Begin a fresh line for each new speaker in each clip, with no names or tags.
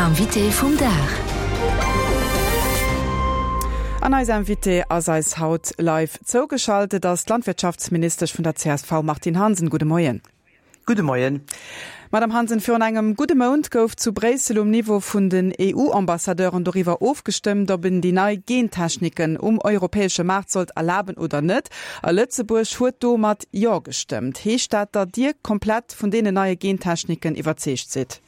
Invité vum Dag.
An eis Invitée ass eis haut live zougeschalt. Et ass d'Landwirtschaftsministesch vun der csv Martine Hansen. Gudde Moien.
Gudde Moien.
Madame Hansen, virun engem gudde Mount gouf zu Bréissel um Niveau vun den EU-Ambassadeuren doriwwer ofgestëmmt, ob en déi nei Gentechniken um europäesche Maart sollt erlaben oder net. A Lëtzebuerg huet do mat Jo gestëmmt. Heescht dat, datt Dir komplett vun deenen neie Gentechniken iwwerzeegt sidd?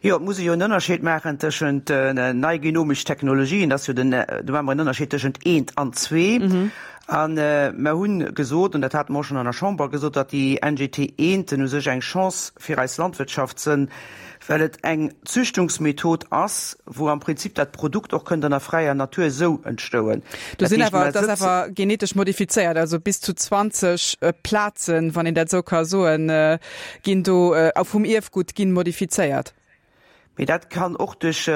Jo, et muss ee jo en Ënnerscheed maachen tëschent nei genomesch Technologien, dat ass jo den, do maache mer en Ënnerscheed tëschent eent an zwee. A mer hu gesot, an dat hate mer och schonn an der Chamber gesot, datt déi NGT eenten u sech eng Chance fir eis Landwirtschaft sënn, well et eng Züchtungsmethod ass, wou am Prinzip dat Produkt och kënnt an der fräier Natur esou entstouen.
Do sinn awer, dat ass awer genetesch modifizéiert, also bis zu 20 Plazen, wann een dat esou ka soen, ginn do vum Ierfgutt ginn modifizéiert.
Mee dat kann och duerch,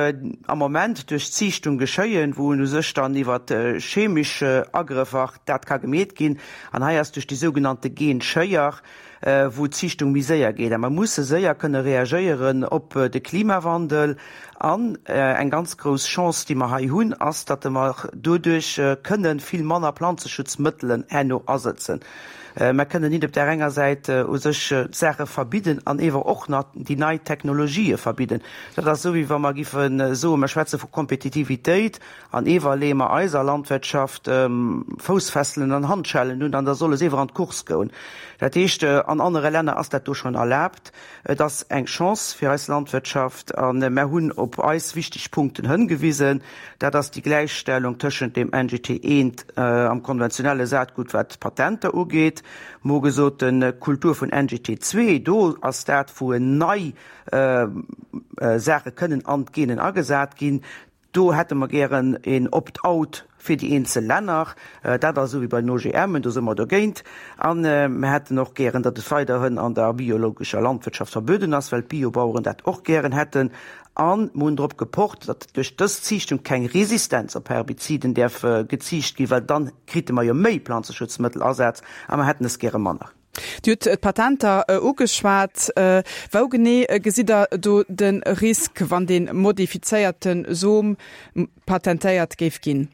am Moment duerch Ziichtung geschéien, wou u sech dann iwwer chemesch Agrëffer dat ka gemeet ginn. An hei ass duerch déi sougenannte Genschéier, wou d'Ziichtung méi séier geet. A mer musse séier kënne reagéieren op de Klimawandel. An eng ganz grouss Chance, déi mer hei hunn, ass, datt mer doduerch kënne vill manner Planzeschutzmëttelen herno asëtzen. Mer kënnen nit op där enger Säit u sech d'Saache verbidden an ewer och nach déi nei Technologië verbidden. Dat ass esou, wéi wa mer giffe soen, mer schwätze vu Kompetitivitéit an ewer leeë mer eiser Landwirtschaft Foussfesselen an Handschellen un an da solle se ewer an d'Course goen. Dat heescht, an anere Länner ass dat do schonn erlaabt. Et ass eng Chance fir eis Landwirtschaft a mer hunn op eis wichteg Punkten hëngewisen. Dat ass déi Gläichstellung tëschent dem NGT I am konventionelle Saatgut, wat d'Patenter ugeet. Mer hu gesot, d'Kultur vun NGT ii, do ass dat, wou nei Saache kënnen an d'Genen agesat ginn. Do hätte mer gären een Opt-out fir déi eenzel Länner. Dat ass esou wéi bei den OGMen, do si mer dogéint. A mer hätten och gären, datt et weiderhin an der biologescher Landwirtschaft verbueden ass, well d'Biobaueren dat och gären hätten. A mer hunn drop gepocht, datt duerch dës Ziichtung keng Resistenz op Herbiziden däerf geziicht ginn, well dann krite mer jo méi Planzeschutzmëttelasaz a mer hätten es gäre manner.
Dir hutt d'Patenter ugeschwat. Wou genee gesitt Der do de Risk, wann dee modifizéierte Som patentéiert géif ginn?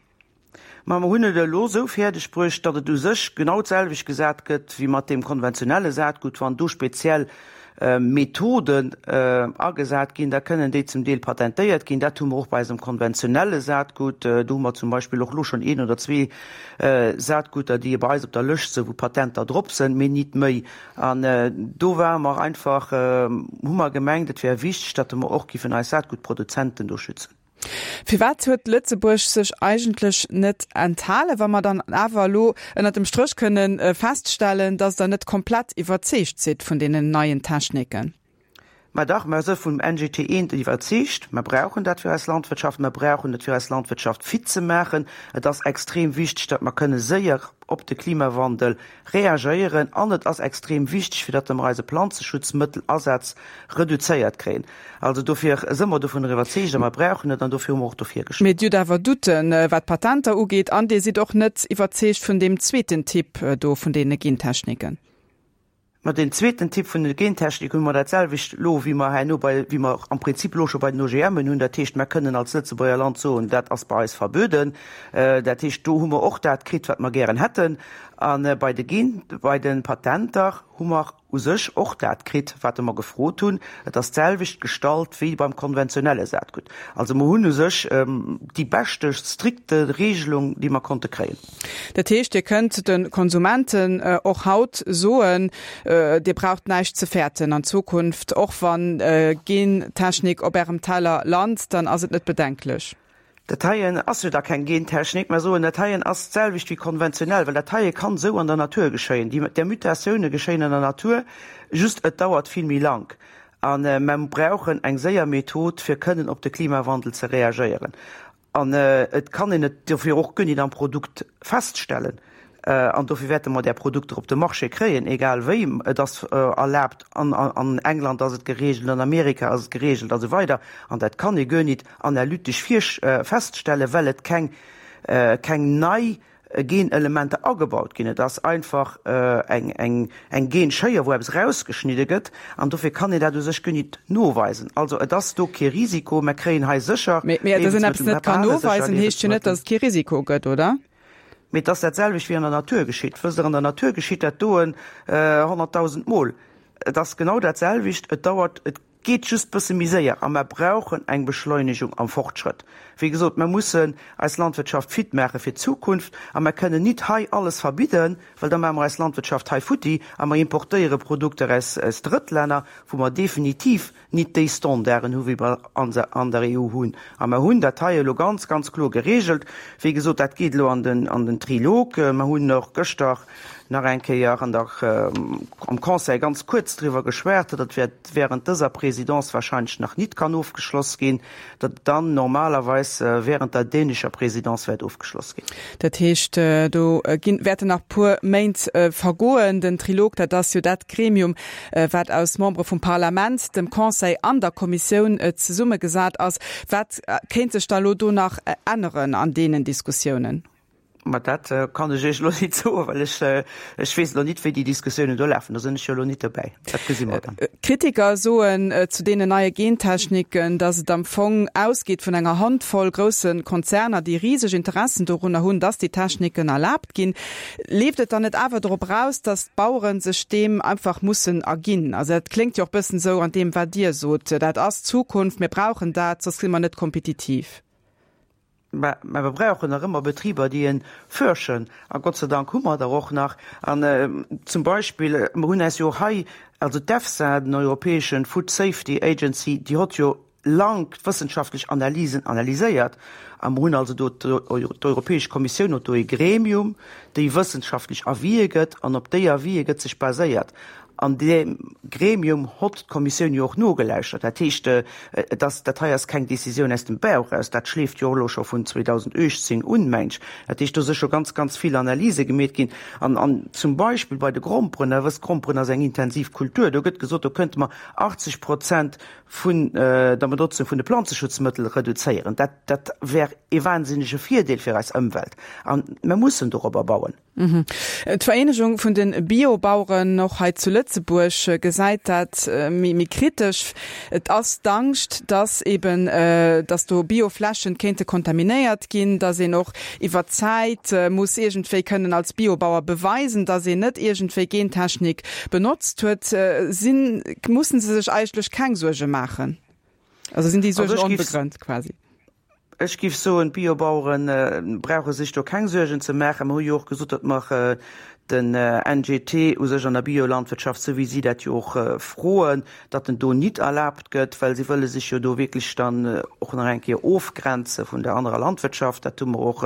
Ma mer hunn et elo esou fäerdeg bruecht, datt et u sech genau d'selwecht gesat gëtt wéi mat deem konventionelle Saatgut. Wann do speziell Methoden agesat ginn, da kënnen déi zum Deel patentéiert ginn. Dat hu mer och bei eisem konventionelle Saatgut. Do hu mer zum Beispill och elo schonn een oder zwee Saatguter, déi bei eis op der Lëscht sinn, wou Patenter drop sinn, mee nit méi. An do ware mer einfach, hu mer gemengt, et wär wichteg, datt mer och giffen eis Saatgutproduzenten do schützen.
Firwat huet Lëtzebuerg sech eigentlech net enthalen, wa mer dann awer elo ënnert dem Stréch kënne feststellen, datt Der net komplett iwwerzeegt sidd vun deenen neien Techniken?
Mä dach, mer si vum NGT I iwwerzeegt. Mer brauchen dat fir eis Landwirtschaft. Mer brauchen et fir eis Landwirtschaft fit ze maachen. Et ass extrem wichteg, datt mer kënne séier op de Klimawandel reagéieren. An et ass extrem wichteg, fir datt mer eise Planzeschutzmëttelasaz reduzéiert kréien. Also dofir si mer dovunner iwwerzeegt a mer brauchen et an dofir hu mer och dofir
gestëmmt. Mee Dir hutt awer Doutten, wat d'Patenter ugeet, an Dir sidd och net iwwerzeegt vun deem zweeten Typ do vun deene Gentechniken.
Mä deen zweeten Typ vun der Gentechnik hu mer dat selwecht elo, wéi mer herno bei, wéi mer am Prinzip elo scho bei den OGMen hunn. Dat heescht, mer kënnen als Lëtzebuerger Land soen, dat ass bei eis verbueden. Dat heescht, do hu mer och dat kritt, wat mer gären hätten. A bei de Gen, bei de Patenter hu mer u sech och dat kritt, wat mer gefrot hunn. Et ass d'selwecht gestallt wéi beim konventionelle Saatgut. Also mer hunn u sech déi beschte strikte Regelung, déi mer konnte kréien.
Dat heescht, Dir kënnt de Konsumenten och haut soen, Dir braucht näischt ze fäerten an Zukunft, och wann Gentechnik op Ärem Teller lant, dann ass et net bedenklech.
Dat heien ass jo da keng Gentechnik, mer soen, dat heien ass d'selwecht wéi konventionell, well dat heie kann esou an der Natur geschéien. Déi, där Mutatioune geschéien an der Natur, just et dauert vill méi lank. A mer brauchen eng séier Method, fir kënnen op de Klimawandel ze reagéieren. An et kann een et dofir och guer nit am Produkt feststellen. An dofir wäerte mer där Produkter op de Marché kréien, egal wéi. Et ass erlaabt, an England ass et geregelt, an Amerika ass et geregelt a sou weider. An dat kann ee guer nit analytesch feststellen, well et keng, keng nei. Genelementer agebaut ginn. Et ass einfach eng, eng, eng Genschéier, wou eppes erausgeschnidde gëtt, an dofir kann een dat u sech guer nit noweisen. Also et ass do kee Risiko. Mer kréien hei sécher
Mee, mee dass een eppes
Liewensmëttel,
net
mer
kann
behale sécher
noweisen, heescht jo net,
Liewensmëttel.
dass et kee Risiko gëtt, oder?
Mee et ass dat selwecht wéi an der Natur geschitt. Wësst Der, an der Natur geschitt dat doen 100.000 Mol. Et ass genau dat selwecht. Et dauert, et geet just bësse méi séier a mer brauchen eng Beschleunegung am Fortschrëtt. Wéi gesot, mer mussen eis Landwirtschaft fit maache fir d'Zukunft a mer kënnen nit hei alles verbidden, well da maache mer eis Landwirtschaft hei futti a mer importéiere Produkter aus Drëttlänner, wou mer definitiv nit déi Standarden hu wéi mer an der EU hunn. A mer hunn dat hei elo ganz, ganz kloer geregelt. Wéi gesot, dat geet elo an den, an den Trilog. Mer hunn och gëschter nach eng Kéier an der, am Conseil ganz kuerz driwwer geschwat, datt et wäert während dëser Présidence wahrscheinlech nach nit kann ofgeschloss ginn, datt et dann normalerweis während der dänescher Présidence wäert ofgeschloss ginn.
Dat heescht, do ginn, wäerten nach puer Méint vergoen. Den Trilog, dat ass jo dat Gremium, wat aus Membere vum Parlament, dem Conseil an der Kommissioun zesummegesat ass. Wat kéint sech da elo do nach änneren an deenen Diskussiounen?
Ma dat kann ech Iech elo nit soen, well ech, ech weess elo nit, wéi déi Diskussiounen do lafen. Do sinn ech jo elo nit dobäi. Dat gesi mer dann.
Kritiker soen zu deenen neie Gentechniken, datt et am Fong ausgeet vun enger Handvoll grousse Konzerner, déi riseg Interessen dorunner hunn, datt déi Techniken erlaabt ginn. Leeft et dann net awer dorop eraus, datt d'Bauere sech deem einfach mussen erginn? Also dat kléngt jo och bëssen esou an deem, wat Dir sot, dat ass d'Zukunft, mir brauchen dat, soss si mer net kompetitiv.
Mä mer brauchen nach ëmmer Betriber, déi e fërschen. A Gott sei Dank hu mer der och nach. An zum Beispill, mer hunn eis jo och hei, also d'EFSA, den europäeschen Food Safety Agency, déi hott jo lang wëssenschaftlech Analysen analyséiert. A mer hunn also do, d'Europäesch Kommissioun huet do e Gremium, déi wëssenschaftlech Avisë gëtt, an op déi Avisë gëtt sech baséiert. An deem Gremium hott d'Kommissioun jo och nogeläuschtert. Dat heescht, et ass, dat hei ass keng Décisioun aus dem Bauch eraus, dat schleeft jo och elo scho vun 2018 un, meng ech. Dat heescht, do si scho ganz, ganz vill Analyse gemeet ginn. An, an zum Beispill bei de Gromperen, Der wësst, Gromperen ass eng intensiv Kultur, do gëtt gesot, do kënnte mer 80 Prozent vun der Benotzung vun de Planzeschutzmëttel reduzéieren. Dat, dat wär ee wahnsinnege Virdeel fir eis Ëmwelt. A mer mussen dorobber bauen.
D'Vereenegung vun de Biobaueren, och hei zu Lëtzebuerg, gesäit dat méi kritesch. Et ass d'Angscht, datt eben, datt do Bioflächen kéinte kontaminéiert ginn, datt een och iwwer d'Zäit muss iergendwéi kënnen als Biobauer beweisen, datt een net iergendwéi Gentechnik benotzt huet. Sinn, mussen se sech eigentlech keng Suerge maachen? Also sinn déi Suergen onbegrënnt quasi?
Ech géif soen, d'Biobauere brauche sech do keng Suergen ze maachen. Mer hu jo och gesot, datt mer den NGT u sech an der Biolandwirtschaft, esou wéi si dat jo och froen, datt en do nit erlaabt gëtt, well si wëlle sech jo do wierklech dann och nach eng Kéier ofgrenze vun der anerer Landwirtschaft. Dat hu mer och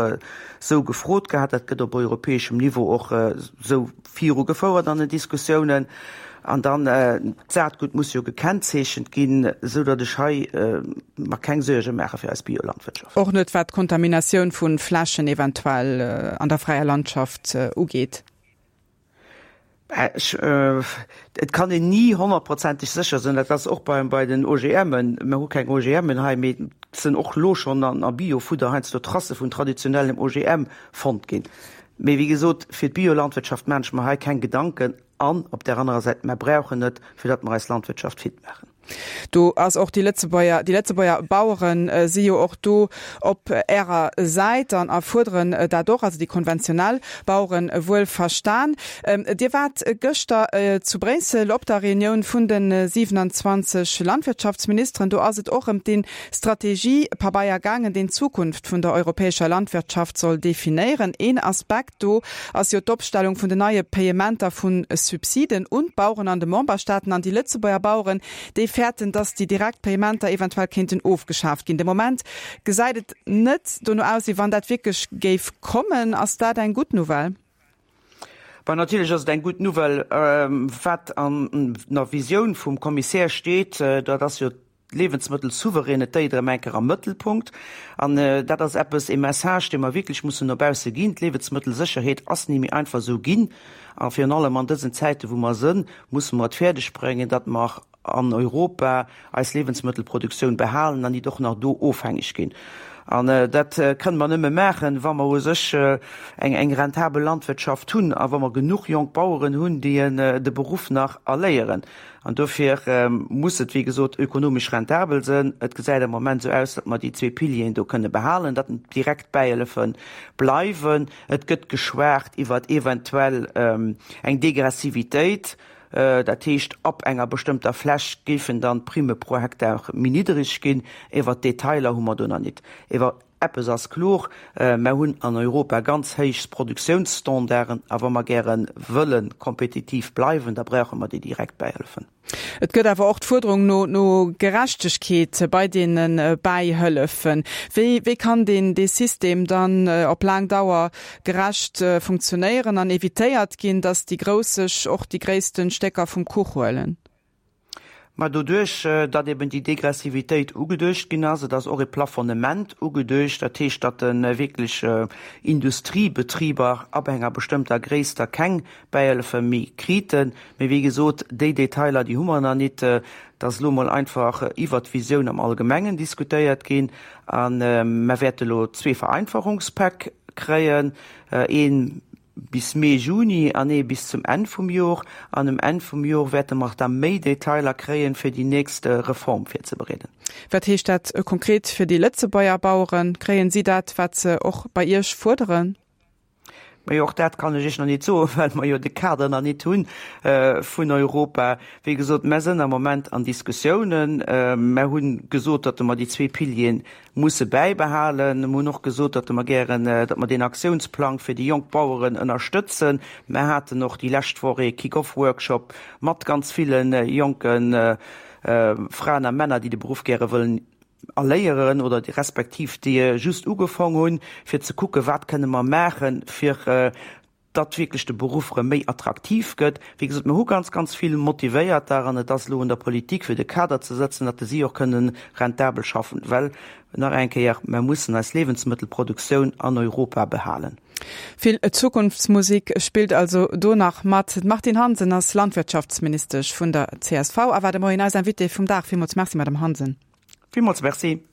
esou gefrot gehat. Dat gëtt op europäeschem Niveau och esou viru gefouert an den Diskussiounen. An dann, d'Saatgut muss jo gekennzeechent ginn, esou datt ech hei mer keng Suerge maache fir eis Biolandwirtschaft.
Och net wat d'Kontaminatioun vu Flächen eventuell an der fräier Landschaft ugeet?
Ech, et kann een ni honnertprozenteg sécher sinn. Dat ass och bei, bei den OGMen. Mer hu keng OGMen hei, mee et sinn och elo schonn an a Biofudder heiansdo Tracë vun traditionellem OGM fonnt ginn. Mee wéi gesot, fir d'Biolandwirtschaft maan ech mer hei keng Gedanken. An op där anerer Säit, mer brauchen et, fir datt mer eis Landwirtschaft fit maachen.
Do ass och déi Lëtzebuerger, déi Lëtzebuerger Bauere si jo och do op Ärer Säit an a fuerderen dat och, also déi konventionell Bauere wuel verstan. Dir waart gëschter zu Bréissel op der Reunioun vun de 27 Landwirtschaftsministeren. Do ass et och ëm dee Strategiepabeier gaangen, deen d'Zukunft vun der europäescher Landwirtschaft soll definéieren. Een Aspekt do ass jo d'Opstellung vun den neie Payementer vu Subsiden un d'Baueren an de Memberstaaten. An déi Lëtzebuerger Baueren, déi fäerten, datt déi direkt Payementer eventuell kéinten ofgeschaaft ginn. De Moment gesäit et net dono aus, wéi wann dat wierklech géif kommen. Ass dat eng gutt Nouvelle?
Bon, natierlech ass et eng gutt Nouvelle. Wat an der Visioun vum Kommissär steet, dat ass jo d'Liewensmëttelsouveränetéit erëm eng Kéier am Mëttelpunkt. An dat ass eppes, ee Message, dee mer wierklech mussen no bausse ginn. D'Liewensmëttelsécherheet ass ni méi einfach esou ginn. A virun allem an dësen Zäiten, wou mer sënn, musse mer et fäerdegbréngen, datt mer. an Europa eis Liewensmëttelproduktioun behalen an nit och nach do ofhängeg ginn. An dat kënne mer nëmme maachen, wa mer u sech eng eng rentabel Landwirtschaft hunn a wa mer genuch jonk Baueren hunn, déi de Beruff nach erléieren. An dofir muss et, wéi gesot, ökonomesch rentabel sënn. Et gesäit am Moment esou aus, datt mer déi zwee Pilieren do kënne behalen, datt direkt Bäihëllefe bleiwen. Et gëtt geschwat iwwert eventuell eng Degressivitéit. Dat heescht, ab enger bestëmmter Fläch géifen dann d'Primme pro Hektar méi niddereg ginn. Iwwer d'Detailer hu mer do nach nit. Ewer eppes ass kloer, Mer hunn an Europa ganz héich Produktiounsstandarden a wa mer gäre wëlle kompetitiv bleiwen, da brauche mer déi direkt Bäihëllefen.
Et gëtt awer och d'Fuerderung no no Gerechtegkeet bei deene Bäihëllefen. Wéi wéi kann deen dee System dann op laang Dauer gerecht funktionéieren an evitéiert ginn, datt déi Grouss sech och déi gréissten Stécker vum Kuch huelen?
Mä doduerch, datt eben déi Degressivitéit ugeduecht ginn ass, et ass och e Plafonnement ugeduecht, dat heescht, datt wierklech Industriebetriber ab enger bestëmmter Gréisst da keng Bäihëllefe méi kriten. Mee wéi gesot, déi Detailer, déi hu mer nach nit. Et ass elo mol einfach iwwert d'Visioun am Allgemengen diskutéiert ginn. A mer wäerte elo zwee Vereinfachungspäck kréien, ee bis Mee, Juni an ee bis zum Enn vum Jor. An um Enn vum Jor wäerte mer da méi Detailer kréien, fir déi nächst Reform virzebereeden.
Wat heescht dat konkret fir déi Lëtzebuerger Baueren? Kréien si dat, wat se och bei Iech fuerderen?
Majo, och dat kann ech Iech nach nit soen, well mer jo de Kader nach nit hu vun Europa. Wéi gesot, mer sënn am Moment an Diskussiounen. Mer hu gesot, datt mer déi zwee Piliere musse bäibehalen. Mer hunn och gesot, datt mer gären, datt mer deen Aktiounsplang fir déi jonk Baueren ënnerstëtzen. Mer haten och déi lescht Woch ee Kick-off-Workshop mat ganz ville jonke Fraen a Männer, déi de Beruff gäre wëllen erléieren oder respektiv déi just ugefong hunn, fir ze kucken, wat kënne mer maachen, fir datt wierklech de Beruff erëm méi attraktiv gëtt. Wéi gesot, mir hu ganz, ganz vill Motivéierter an et ass elo un der Politik, fir de Kader ze sëtzen, datt si och kënnen rentabel schaffen, well, nach eng Kéier, mer mussen eis Liewensmëttelproduktioun an Europa behalen.
Vill Zukunftsmusik spillt also do nach mat. D'Martine Hansen ass Landwirtschaftsministesch vun der csv a war de Moien eis Invitée vum Dag. Villmools Merci, Madame Hansen.
Villmools Merci.